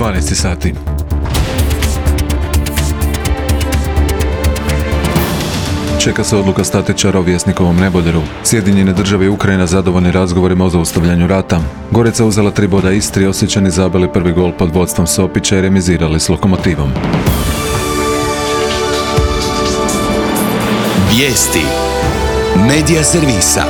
12 sati. Čeka se odluka statičara o Vjesnikovom neboderu. Sjedinjene države i Ukrajina zadovoljni razgovorima o zaustavljanju rata. Gorica uzela 3 boda Istri, Osječani zabili prvi gol pod vodstvom Sopića i remizirali s Lokomotivom. Vijesti Medija servisa.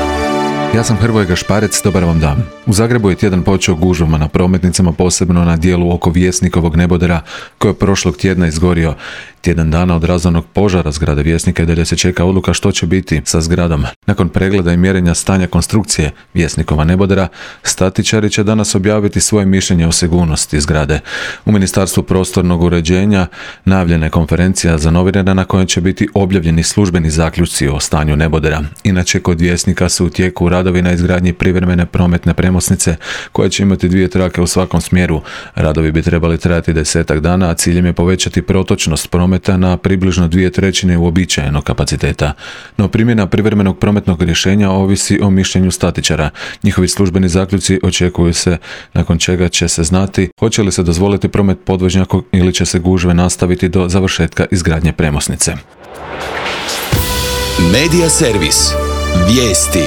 Ja sam Hrvoje Gašparec, dobar vam dan. U Zagrebu je tjedan počeo gužvama na prometnicama, posebno na dijelu oko Vjesnikovog nebodera koji je prošlog tjedna izgorio. Tjedan dana od razornog požara zgrade Vjesnika i dalje se čeka odluka što će biti sa zgradom. Nakon pregleda i mjerenja stanja konstrukcije Vjesnikova nebodera, statičari će danas objaviti svoje mišljenje o sigurnosti zgrade. U Ministarstvu prostornog uređenja najavljena je konferencija za novinare na kojoj će biti objavljeni službeni zaključci o stanju nebodera. Inače, kod Vjesnika su u tijeku radovi na izgradnji privremene prometne premosnice koja će imati 2 trake u svakom smjeru. Radovi bi trebali trajati 10 dana, a ciljem je povećati protočnost prometa na približno 2/3 uobičajenog kapaciteta. No primjena privremenog prometnog rješenja ovisi o mišljenju statičara. Njihovi službeni zaključci očekuju se, nakon čega će se znati hoće li se dozvoliti promet podvožnjakom ili će se gužve nastaviti do završetka izgradnje premosnice. Medija servis. Vijesti.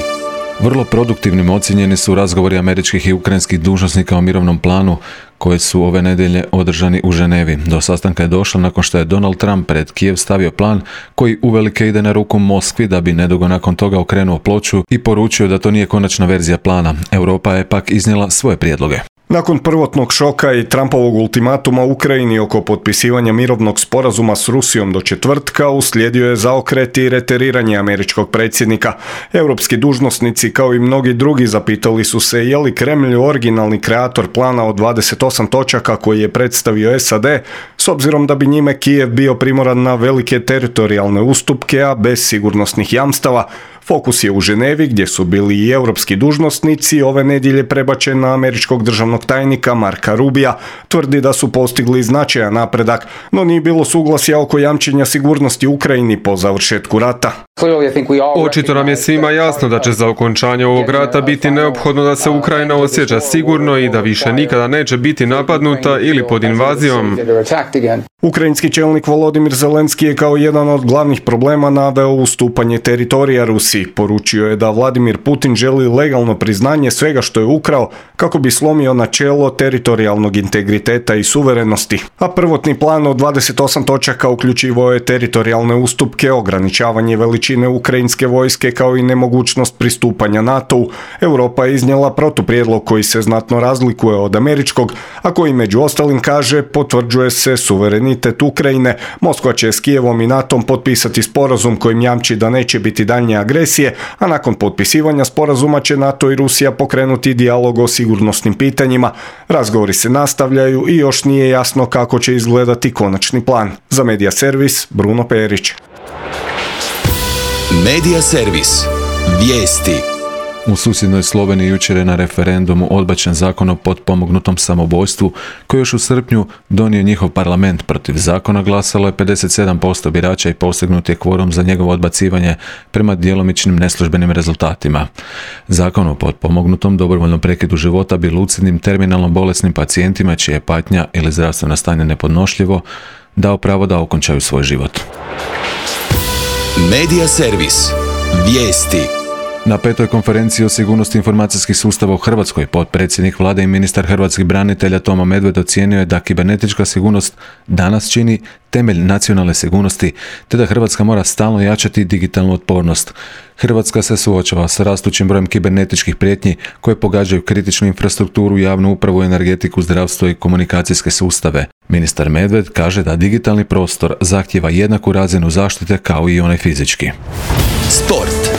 Vrlo produktivnim ocijenjeni su razgovori američkih i ukrajinskih dužnosnika o mirovnom planu koji su ove nedjelje održani u Ženevi. Do sastanka je došlo nakon što je Donald Trump pred Kijev stavio plan koji uvelike ide na ruku Moskvi, da bi nedugo nakon toga okrenuo ploču i poručio da to nije konačna verzija plana. Europa je pak iznijela svoje prijedloge. Nakon prvotnog šoka i Trumpovog ultimatuma Ukrajini oko potpisivanja mirovnog sporazuma s Rusijom do četvrtka, uslijedio je zaokret i reteriranje američkog predsjednika. Europski dužnosnici, kao i mnogi drugi, zapitali su se je li Kremlj originalni kreator plana od 28 točaka koji je predstavio SAD, s obzirom da bi njime Kijev bio primoran na velike teritorijalne ustupke, a bez sigurnosnih jamstava. Fokus je u Ženevi, gdje su bili i europski dužnosnici, ove nedjelje prebačen na američkog državnog tajnika Marka Rubija. Tvrdi da su postigli značajan napredak, no nije bilo suglasja oko jamčenja sigurnosti Ukrajini po završetku rata. Očito nam je svima jasno da će za okončanje ovog rata biti neophodno da se Ukrajina osjeća sigurno i da više nikada neće biti napadnuta ili pod invazijom. Ukrajinski čelnik Volodimir Zelenski je kao jedan od glavnih problema naveo ustupanje teritorija Rusiji. Poručio je da Vladimir Putin želi legalno priznanje svega što je ukrao kako bi slomio načelo teritorijalnog integriteta i suverenosti. A prvotni plan od 28 točaka uključivao je teritorijalne ustupke, ograničavanje veličine ukrajinske vojske kao i nemogućnost pristupanja NATO-u. Europa je iznijela protuprijedlog koji se znatno razlikuje od američkog, a koji među ostalim kaže potvrđuje se suverenitet Ukrajine. Moskva će s Kijevom i NATO-om potpisati sporazum kojim jamči da neće biti daljnje agresije, a nakon potpisivanja sporazuma će NATO i Rusija pokrenuti dijalog o sigurnosnim pitanjima. Razgovori se nastavljaju i još nije jasno kako će izgledati konačni plan. Za Medija servis, Bruno Perić. Medija servis. Vijesti. U susjednoj Sloveniji jučer je na referendumu odbačen zakon o potpomognutom samoubojstvu koji još u srpnju donio njihov parlament. Protiv zakona glasalo je 57% birača i postignut je kvorum za njegovo odbacivanje prema djelomičnim neslužbenim rezultatima. Zakon o potpomognutom dobrovoljnom prekidu života bi lucidnim terminalno bolesnim pacijentima čija je patnja ili zdravstveno stanje nepodnošljivo dao pravo da okončaju svoj život. Medija servis. Vijesti. Na 5. konferenciji o sigurnosti informacijskih sustava u Hrvatskoj potpredsjednik vlade i ministar hrvatskih branitelja Tomo Medved ocijenio je da kibernetička sigurnost danas čini temelj nacionalne sigurnosti, te da Hrvatska mora stalno jačati digitalnu otpornost. Hrvatska se suočava sa rastućim brojem kibernetičkih prijetnji koje pogađaju kritičnu infrastrukturu, javnu upravu, energetiku, zdravstvo i komunikacijske sustave. Ministar Medved kaže da digitalni prostor zahtijeva jednaku razinu zaštite kao i onaj fizički. Sport.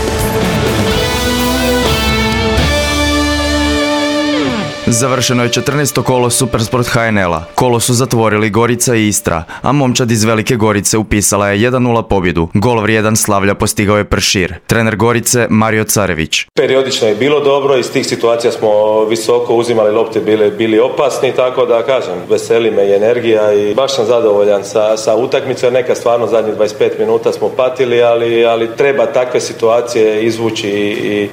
Završeno je 14. kolo Supersport HNL-a. Kolo su zatvorili Gorica i Istra, a momčad iz Velike Gorice upisala je 1:0 pobjedu. Gol vrijedan slavlja postigao je Pršir. Trener Gorice Mario Carević. Periodično je bilo dobro, iz tih situacija smo visoko uzimali lopte, bili opasni, tako da kažem, veseli me i energija i baš sam zadovoljan sa utakmicom. Neka stvarno zadnjih 25 minuta smo patili, ali treba takve situacije izvući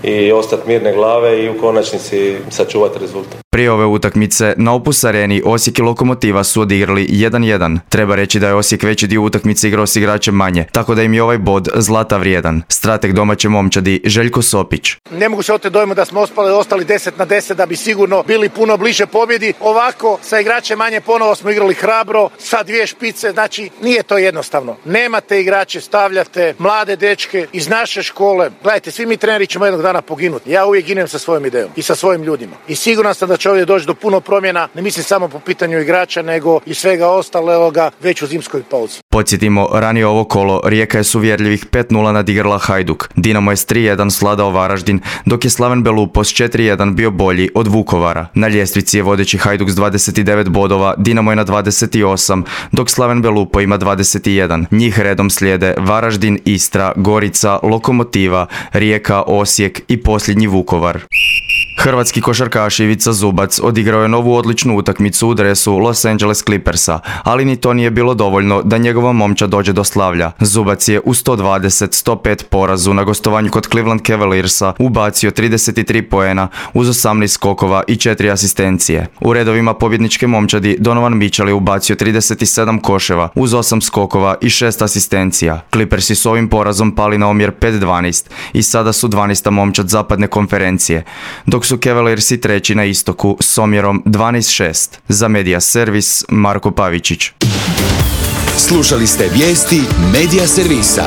i ostati mirne glave i u konačnici sačuvati rezultat. Prije ove utakmice na Opus Areni Osijek i Lokomotiva su odigrali 1-1. Treba reći da je Osijek veći dio utakmice igrao s igračem manje, tako da im je ovaj bod zlata vrijedan. Strateg domaće momčadi Željko Sopić. Ne mogu se oteti dojmu da smo ostali 10-10 da bi sigurno bili puno bliže pobjedi. Ovako, sa igračem manje ponovo smo igrali hrabro, sa 2 špice, znači nije to jednostavno. Nemate igrače, stavljate mlade dečke iz naše škole. Gledajte, svi mi treneri ćemo jednog dana poginuti. Ja uvijek ginem sa svojom idejom i sa svojim ljudima. I siguran sam da će ovdje doći do puno promjena, ne mislim samo po pitanju igrača, nego i svega ostaloga već u zimskoj pauzi. Podsjetimo, ranije ovo kolo Rijeka je s uvjerljivih 5-0 nadigrala Hajduk. Dinamo je s 3-1 sladao Varaždin, dok je Slaven Belupo s 4-1 bio bolji od Vukovara. Na ljestvici je vodeći Hajduk s 29 bodova, Dinamo je na 28, dok Slaven Belupo ima 21. Njih redom slijede Varaždin, Istra, Gorica, Lokomotiva, Rijeka, Osijek i posljednji Vukovar. Hrvatski košarkaš Ivica Zubac odigrao je novu odličnu utakmicu u dresu Los Angeles Clippersa, ali ni to nije bilo dovoljno da njegova momčad dođe do slavlja. Zubac je u 120-105 porazu na gostovanju kod Cleveland Cavaliersa ubacio 33 poena uz 18 skokova i 4 asistencije. U redovima pobjedničke momčadi Donovan Mitchell je ubacio 37 koševa uz 8 skokova i 6 asistencija. Clippersi su ovim porazom pali na omjer 5-12 i sada su 12. momčad zapadne konferencije, dok su Cavaliersi treći na istoku s omjerom 12-6. Za Media Servis, Marko Pavičić. Slušali ste vijesti Media Servisa.